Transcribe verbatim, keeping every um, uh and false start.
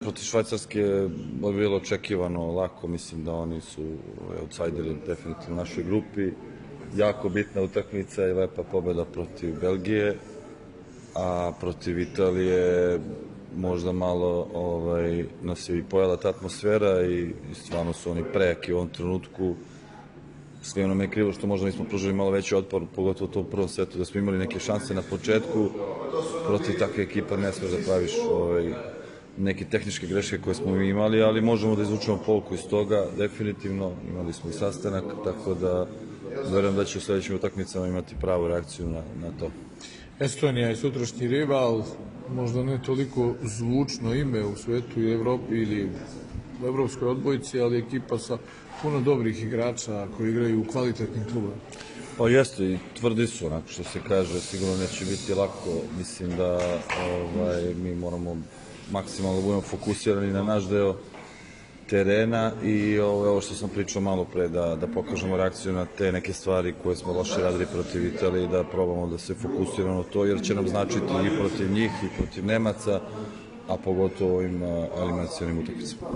Protiv Švajcarske je bilo očekivano lako, mislim da oni su outsideri definitivno u našoj grupi. Jako bitna utakmica i lepa pobeda protiv Belgije, a protiv Italije možda malo ovaj, nas je i pojela ta atmosfera i, i stvarno su oni prejaki u ovom trenutku. Sve ono me je krivo što možda nismo pružili malo veći otpor, pogotovo u tom prvom setu, da smo imali neke šanse na početku. Protiv takve ekipa ne smeš da praviš ovaj, neke tehničke greške koje smo imali, ali možemo da izvučemo pouku iz toga, definitivno. Imali smo i sastanak, tako da verujem da će u sledećim utakmicama imati pravu reakciju na, na to. Estonija je sutrašnji rival, možda ne toliko zvučno ime u svetu i Evropi ili u evropskoj odbojci, ali ekipa sa puno dobrih igrača koji igraju u kvalitetnim klubama. Pa jeste, i tvrdi su, onako što se kaže, sigurno neće biti lako. Mislim da ovaj, mi moramo maksimalno budemo fokusirani na naš deo terena i ovo što sam pričao malo pre, da, da pokažemo reakciju na te neke stvari koje smo loše radili protiv Italije i da probamo da se fokusiramo na to, jer će nam značiti i protiv njih i protiv Nemaca, a pogotovo ovim eliminacionim utakmicama.